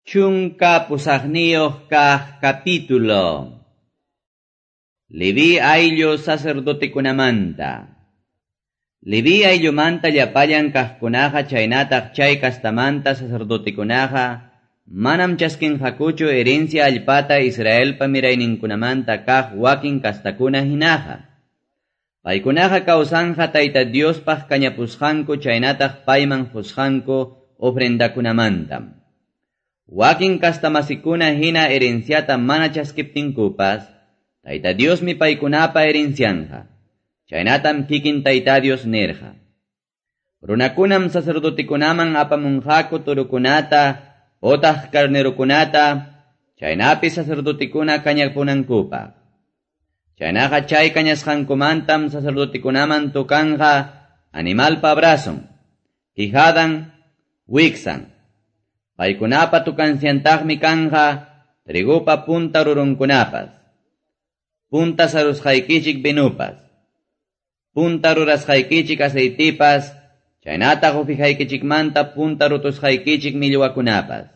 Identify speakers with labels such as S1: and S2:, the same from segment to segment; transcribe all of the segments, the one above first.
S1: 18 kaq capítulo. Leví ayllu sacerdotekunamanta. Leví ayllumanta llapallan kaqkunaqa chaynataq chay kastamanta sacerdotekunaqa manam chaskinqakuchu herencia allpata Israelpa mirayninkunamanta kaq wakin kastakuna hinaqa. Paykunaqa kawsanja Tayta Diospaq kañapusqanku chaynataq payman qusqanku ofrendakunamantam. Wakin kastamasikuna hina herenciata mana chaskiptinkupas, Tayta Diosmi paykunapa herencianja. Chaynatam kikin Tayta Dios nirqa. Runakunam sacerdotekunaman apamunqaku turukunata, otaq carnerukunata, chaynapi sacerdotekuna kañapunankupaq. Chaynaqa chay kañasqankumantam sacerdotekunaman tukanja animalpa brazon, quijadan, wiksan. Paykunapa tukansiantaqmi kanja trigupa punta rurunkunapas, punta sarusqaykichik vinupas, punta rurasqaykichik aceitipas, chaynataq ufijaykichikmanta punta rutusqaykichik millwakunapas.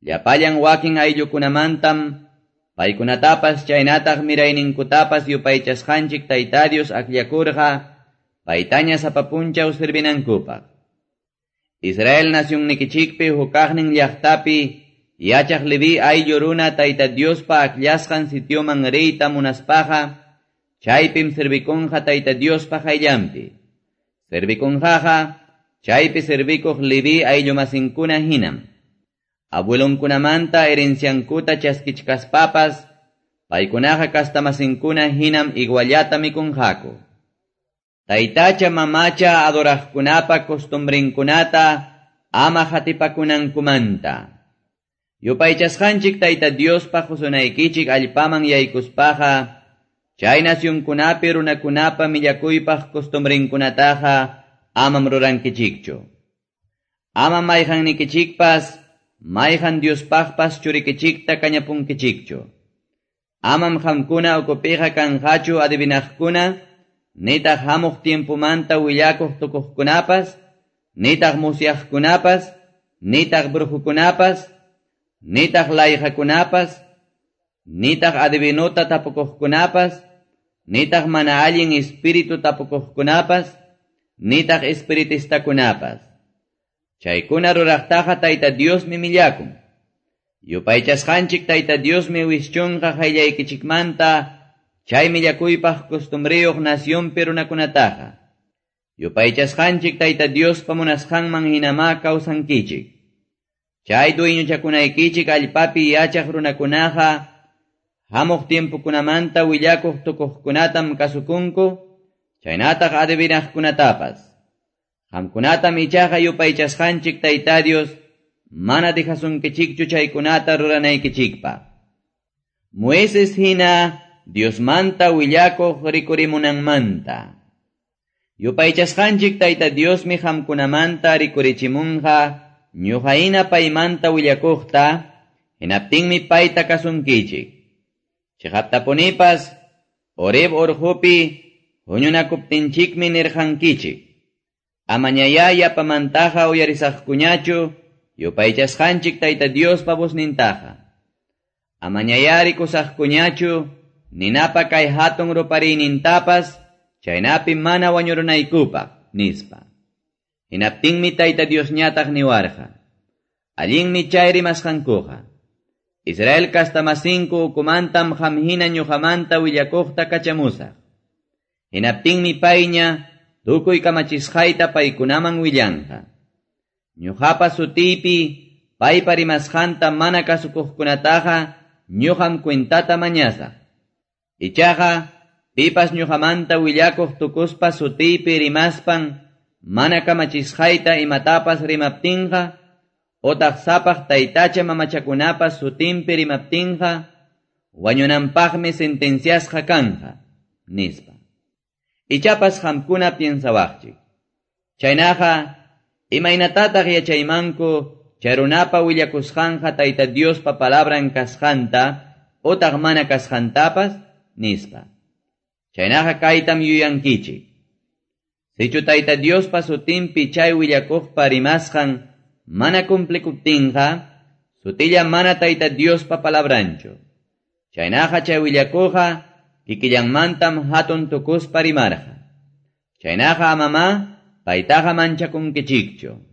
S1: Llapallan wakin ayllukunamantam paykunatapas chaynataq mirayninkutapas yupaychasqanchik Tayta Dios akllakurqa paytaña sapa punchaw servinankupaq. Israel nacionnikichikpi hukaqnin llaqtapi yachaq Leví ayllu runa Tayta Diospa akllasqan sitioman riyta munaspaqa chaypim servikunqa Tayta Diospa qayllanpi. Servikunqaqa chaypi servikuq Leví ayllumasinkuna hinam. Abuelonkunamanta herenciankuta chaskichkaspapas paykunaqa kastamasinkuna hinam iguallata mikunqaku. Taytacha mamacha adoraqkunapa costumbrinkunata ama hatipakunankumanta. Yupaychasqanchik Tayta Diospa qusunaykichik allpaman yaykuspaqa, chay nacionkunapi runakunapa millakuypaq costumbrinkunataqa amam rurankichikchu. Ama mayqannikichikpas, mayqan Diospaqpas churikichikta kañapunkichikchu. Amam qamkuna ukupiqa kanqachu adivinaqkuna, nitaq hamuq tiempomanta willakuq tukuqkunapas, nitaq musyaqkunapas, nitaq brujukunapas, nitaq layqakunapas, nitaq adivinuta tapukuqkunapas, nitaq mana allin espíritu tapukuqkunapas, nitaq espiritistakunapas. Chaykuna ruraqtaqa Tayta Diosmi millakun. Yupaychasqanchik Tayta Diosmi wischunqa qayllaykichikmanta chay millakuypaq costumbriyuq nacionpi runakunataqa. Yupaychasqanchik Tayta Diospa munasqanman hinamá kawsankichik. Chay dueñochakunaykichik allpapi yachaq runakunaqa hamuq tiempokunamanta willakuq tukuqkunatam kasukunku, chaynataq adivinaqkunatapas. Qamkunatam ichaqa yupaychasqanchik Tayta Dios mana dejasunkichikchu chaykunata ruranaykichikpaq. Moisés hina Diosmanta willakuq rikurimunanmanta. Yupaychasqanchik Tayta Diosmi qamkunamanta rikurichimunqa ñuqahina paymanta willakuqta, hinaptinmi payta kasunkichik. Chiqaptapunipas Horeb urqupi huñunakuptinchikmi nirqankichik. Amañayá yapamantaqa uyarisaqkuñachu yupaychasqanchik Tayta Diospa voznintaqa. Amañayá rikusaqkuñachu ninapa kay hatun rupariynintapas chaynapi mana wañurunaykupaq, nispa. Hinaptinmi Tayta Diosñataq niwarqa. Allinmi chay rimasqankuqa. Israel kastamasinku ukumantam qam hina ñuqamanta willakuqta kachamusaq. Hinaptinmi payña tukuy kamachisqayta paykunaman willanqa. Ñuqapa sutiypi paypa rimasqanta mana kasukuqkunataqa ñuqam cuentata mañasaq. Ichaqa pipas ñuqamanta willakuq tukuspa sutiypi rimaspan mana kamachisqayta imatapas rimaptinqa, otaq sapaq taytacha mamachakunapas sutinpi rimaptinqa, wañunanpaqmi sentenciasqa kanja, nispa. Ichapas qamkuna piensawaqchik. Chaynaqa, imaynatataq yachaymanku chay runapa willakusqanqa Tayta Diospa palabran kasqanta, otaq mana kasqantapas, nispa. Chaynaqa kaytam yuyankichik. Sichu Tayta Diospa sutinpi chay willakuqpa rimasqan mana cumplikuptinqa, sutilla mana Tayta Diospa palabranchu. Chaynaqa chay willakuqqa kikillanmantam hatun tukuspa rimarqa. Chaynaqa amamá paytaqa manchakunkichikchu.